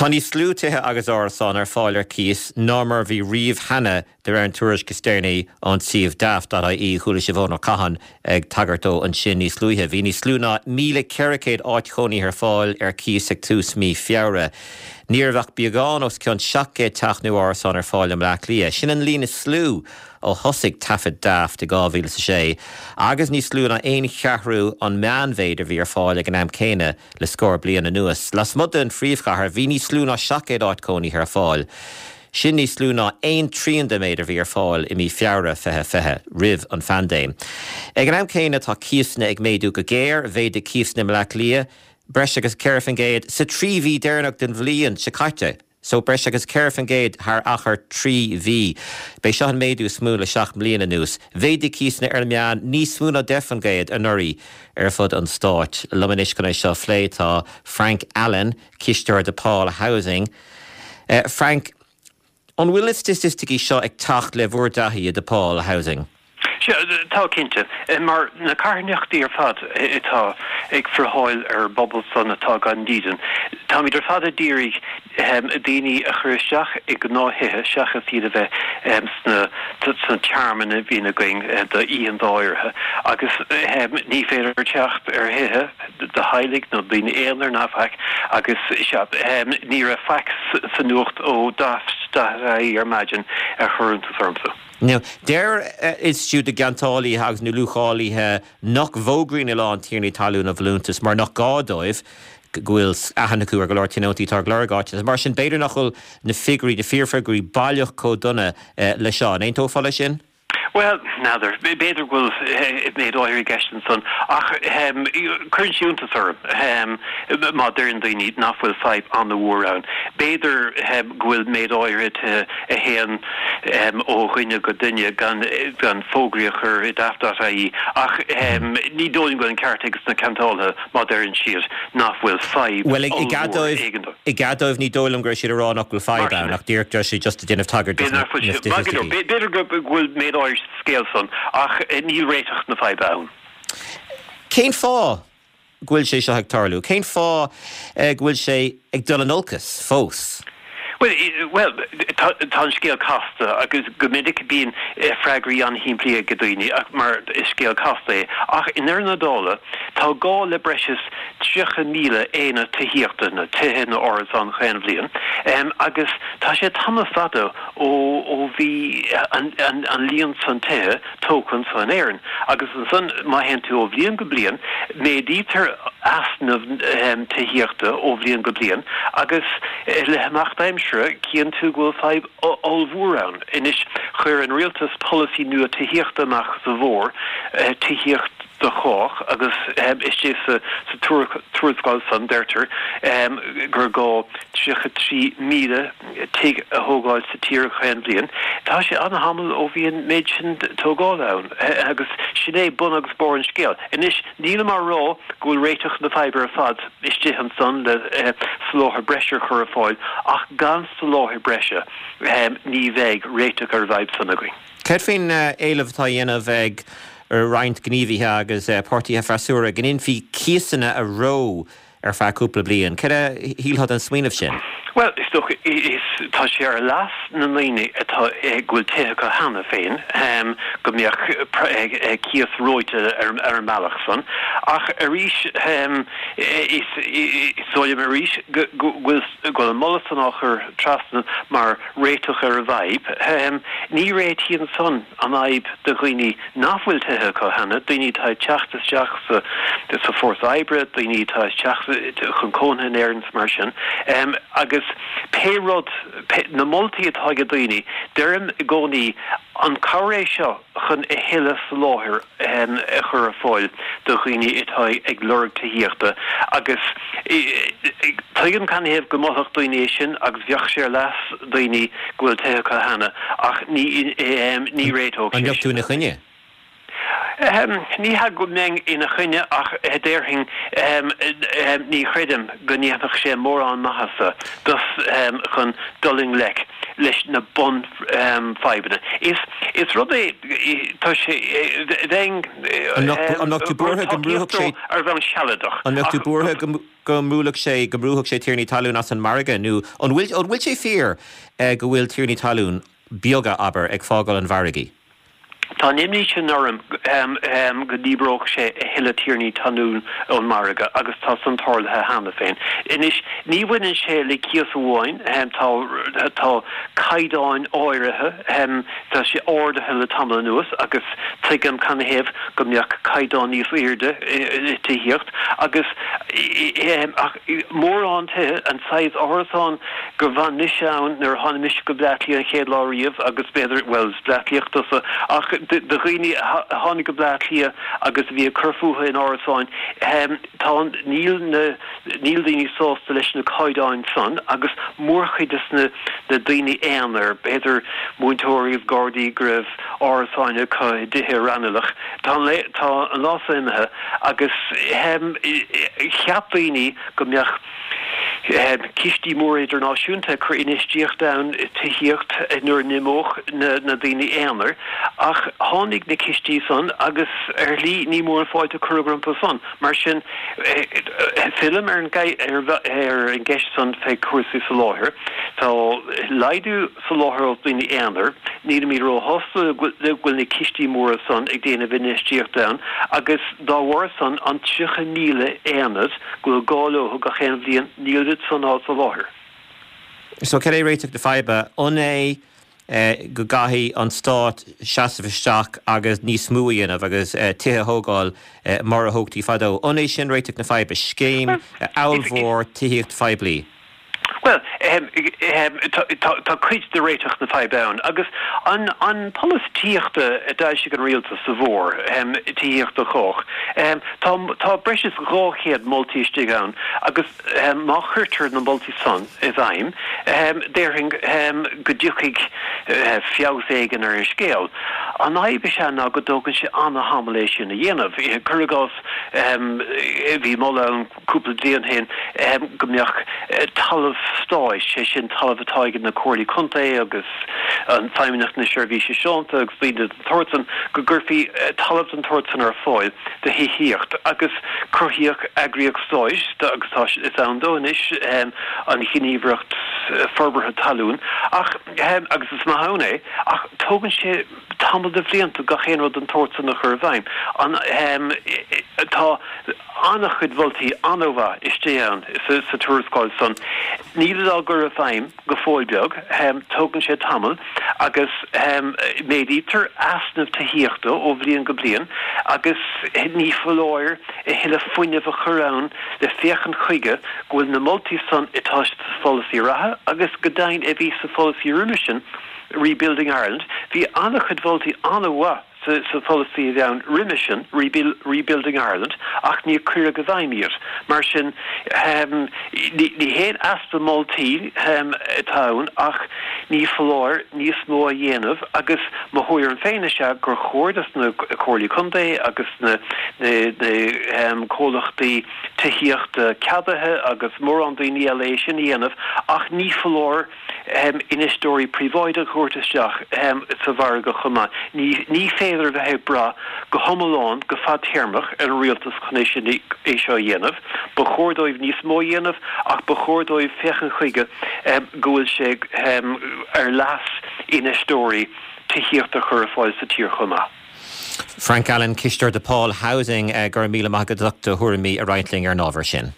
Tá níos lú tithe agus árasán ar fáil ar cíos ná mar a bhí riamh cheana de réir an tuairisc is deireanaí ón suíomh Daft.ie. Chuala sibh Eoin Ó Catháin ag tagairt dó ansin níos luaithe. Bhí níos lú ná 1,400 áit chónaithe ar fáil ar cíos ag tús mí Feabhra. Ní raibh ach beagán os cionn 700 teach nó árasán ar fáil i mBleá Cliath. Sin an líon is lú ó thosaigh taifid Daft i 2006 agus níos lú ná aon cheathrú an meánmhéid a bhí ar fáil ag an am céanna Le scór bliain anuas, lasmuigh den phríomhchathair, bhí níos lú ná 700 áit cónaithe ar fáil. Sin níos lú ná aon trian den méid a bhí ar fáil i mí Feabhra 2020, roimh an phaindéim. Ag an am céanna, tá cíosanna ag méadú go géar, mhéadaigh cíosanna i mBleá Cliath breis agus 4% sa trí mhí deireanach den bhliain seo caite. So breis agus 4% thar achar 3 mhí. B'é seo an méadú is mó le 7 mbliana anuas. Mhéadaigh cíosanna ar an meán níos mó ná 10% anuraidh ar fud an stáit. Liom anois chun é seo a phlé tá Frank Allen, cisteoir DePaul Housing. Frank, an bhfuil na staitisticí seo ag teacht le bhur dtaithí i DePaul Housing? Sea, tá cinnte. Mar na carthanachtaí ar fad atá ag friotháil ar an bpobal san atá gan dídean, táimid ar fad a d'iarraidh daoine a chur isteach i ngnáth-thithe seachas iad a bheith sna sna tearmainn a bhíonn againn d'oícheanta áirithe. Agus ní féidir teacht ar thithe do theaghlaigh nó daoine aonair ná faic agus sea, ní raibh faic sa nuacht ó Daft.ie ar maidin a chuir iontas ormsa. Now, deir Institiúid na gCeantálaithe agus na Luachálaithe nach bhfógraíonn a lán tiarnaí talún a bhfolúntais mar nach gá dóibh, go bhfuil aithne acu ar go leor tionóntaí atá ag lorg áiteanna. Mar sin, b'fhéidir nach bhfuil na figiúirí, na fíorfhigiúirí baileach chomh dona le seo. An aontófá leis sin? Bhuel, n'fheadar. B'fhéidir go bhfuil méid áirithe i gceist ansan ach cuireann sé iontas orm má deireann daoine nach bhfuil fadhb an-mhór ann. B'fhéidir go bhfuil méid áirithe tithe a théann ó dhuine go duine gan fógraí a chur i Daft.ie ach ní dóigh liom go bhfuil an ceart ag na ceantálaithe má deireann siad nach bhfuil fadhb Bhuel, i gcead ollmhór dóibh, i gcead dóibh ní dóigh liom go raibh siad ag rá nach bhfuil fadhb ann ach díreach deir siad just ag déanamh tagairt dos na staitisticí. B'fhéidir go bhfuil méid áirithe sa scéal san ach níl réiteach na faidhbe ann. Cén fáth go bhfuil sé seo ag tarlú? Cén fáth go bhfuil sé ag dul in olcas fós? Bhuel, tá an scéal casta agus go minic bíonn freagraí an-shimplí ag daoine mar is scéal casta é. Ach i ndeireadh na dála, tá gá le breis is 30,000 aonad tithíochta, nó tithe nó árasáin chaon bhliain, agus tá sé tamall fada ó bhí an líon san tithe tógtha anso in Éirinn. Agus ansan, má théann tú ó bhliain go bliain, méadaítear easnamh tithíochta ó bhliain go bliain agus le himeacht aimsire cíonn tú go bhfuil fadhb ollmhór ann. Anois, chuir an rialtas polasaí nua tithíochta amach sa bhfómhar, Tithíocht do Chách, agus istigh sa tuarascáil san deirtear gur gá 33,000 tigh a thógáil sa tír chaon bhliain. Tá sé an-tamall ó bhí an méid sin tógála ann agus sin é bun agus barr an scéil. Anois, nílim á rá go bhfuil réiteach na faidhbe ar fad istigh ansan le soláthar breise a chur ar fáil ach gan soláthar breise ní bheidh réiteach ar an bhfadhb san againn. Céard faoin éileamh atá á dhéanamh ag roinnt gníomhaithe agus páirtithe freasúra go ndéanfaí cíosanna a reo ar feadh cúpla bliain. Céard a shílfeá den smaoineamh sin? Bhuel, is dócha, is, tá sé ar leas na ndaoine atá, go bhfuil tithe acu cheana féin, go mbeadh cíos reoite ar an mbealach san. Ach arís, is dóigh liom arís go bhfuil, go bhfuil an moladh san á chur trasna mar réiteach ar an bhfadhb. Ní réitíonn san an fhadhb do dhaoine nach bhfuil tithe acu cheana, daoine atá ag teacht isteach sa fórsa oibre, daoine atá ag teacht chun cónaithe in Éirinn is mar sin. Agus pé rud, na moltaí atá ag daoine, deirim i gcónaí, an cabhair é seo chun a thuilleadh soláthair a chur ar fáil do dhaoine atá ag lorg tithíochta agus tuigim canathaobh go molfadh daoine é sin agus bheadh sé ar leas daoine go bhfuil tithe acu cheana ach ní réiteodh sé sin. An mbeadh tú ina choinne? Ní hea go mbeinn ina choinne ach déarfainn ní chreidim go ndéanfadh sé mórán maitheasa dos chun dul i ngleic leis na bunfhadhbanna. Is rud é tá sé bheinn An mbeadh tú buartha go mbrúfadh sé ar bhonn sealadach An mbeadh tú buartha go. go mbuailfeadh sé, go mbrúfadh sé tiarnaí talún as an margadh nó an bhfuil, an bhfuil sé fíor go bhfuil tiarnaí talún beaga, abair, ag fágáil an mhargaidh? Tá an imní sin orm go ndíbreodh sé a thuilleadh tiarnaí talún ón margadh agus tá san tarlaithe cheana féin. Anois, ní bhaineann sé le cíos amháin, tá tá caighdeáin áirithe, tá sé ardaithe le tamall anuas agus tuigim canathaobh go mbeadh caighdeán níos airde i tithíocht agus ach mórán tithe, an saghas árasán gur bhain mise ann nuair a tháinig mise go Bleá Cliath an chéad lá riamh agus b'fhéidir, bhuel, is Bleá Cliathach tusa, ach do dhaoine a tháinig go Bleá Cliath agus a bhí ag cur fúthu in árasáin, tá, níl na, níl daoine sásta leis na caighdeáin san agus mórchuid des na, na daoine aonair, b'fhéidir múinteoirí agus gardaí go raibh árasáin acu i dtithe i Raghnallach, tá an, tá an lá so imithe agus cheap daoine go mbeadh cistí móra idirnáisiúnta ag cur infheistíocht ann i tithíocht nuair a n-imeodh na daoine aonair, ach tháinig na cistí san agus ar shlí ní mór an fáilte a cuireadh rompu san. Mar sin, fillim ar an gceist san fé chúrsaí soláthair. Tá laghdú soláthair ó dhaoine aonair, nílimid róshásta go bhfuil na cistí móra san ag déanamh infheistíocht ann agus dá bharr san an 30,000 aonad go bhfuil gá leo gach aon bhliain, níl siad san á soláthar. So cad é réiteach na faidhbe? An é go gcaithfidh an stát seasamh isteach agus níos mó a dhéanamh agus tithe a thógáil mar a thógtaí fadó? An é sin réiteach na faidhbe? Scéim ollmhór tithíocht phoiblí? Bhuel, tá cuid de réiteach na faidhbe ann, agus an polasaí tithíochta a d'fhoilsigh an rialtas sa bhfómhar, Tithíocht do Chách, tá breis is 200 moltaí istigh ann agus má chuirtear na moltaí san i bhfeidhm, déarfainn go dtiocfaidh feabhas éigin ar an scéal. An fhadhb is ea ná go dtógann sé ana-thamall é sin a dhéanamh. Cuir i gcás, bhí moladh ann, cúpla bliain ó shin go mbeadh talamh stáit, sé sin talamh atá ag na comhairlí contae agus an Feidhmeannacht na Seirbhíse Sláinte agus daoine den tsórt san, go gcuirfí talamh den tsórt san ar fáil do thithíocht agus cruthaíodh eagraíocht stáit agus tá, is ann dó anois, an Ghníomhaireacht Forbartha Talún ach, agus is maith ann é, ach tógann sé tamall de bhlianta gach aon rud den tsórt san a chur i bhfeidhm. An, tá an-chuid mholtaí an-mhaith istigh ann sa tuarascáil san. Nílid á gcur i bhfeidhm go fóill beag, tógann sé tamall agus méadaítear easnamh tithíochta ó bhliain go bliain agus ní foláir a thuilleadh fuinnimh a chur ann le féachaint chuige go bhfuil na moltaí san atá sa pholasaí reatha agus go deimhin a bhí sa pholasaí roimhe sin Rebuilding Ireland, bhí an-chuid mholtaí an-mhaith sa pholasaí a bhí ann roimhe sin, Rebuilding Ireland, ach níor cuireadh i bhfeidhm iad. Mar sin, ní haon easpa moltaí atá ann ach ní foláir níos mó a dhéanamh agus mo thuairim féin is ea gur chóir dos na Comhairlí Contae agus na comhlachtaí tithíochta ceadaithe agus mórán daoine eile é sin a dhéanamh ach ní foláir infheisteoirí príobháideacha a thabhairt isteach sa mhargadh chomh maith. Ní féidir a bheith ag brath go hiomlán, go fadtéarmach, ar an rialtas chun é sin, é seo a dhéanamh. Ba chóir dóibh níos mó a dhéanamh ach ba chóir dóibh féachaint chuige go bhfuil sé ar leas infheisteoirí tithíocht a chur ar fáil sa tír chomh maith. Frank Allen, Cisteoir DePaul Housing, go raibh míle maith agat as ucht do thuairimí a roinnt linn ar an ábhar sin.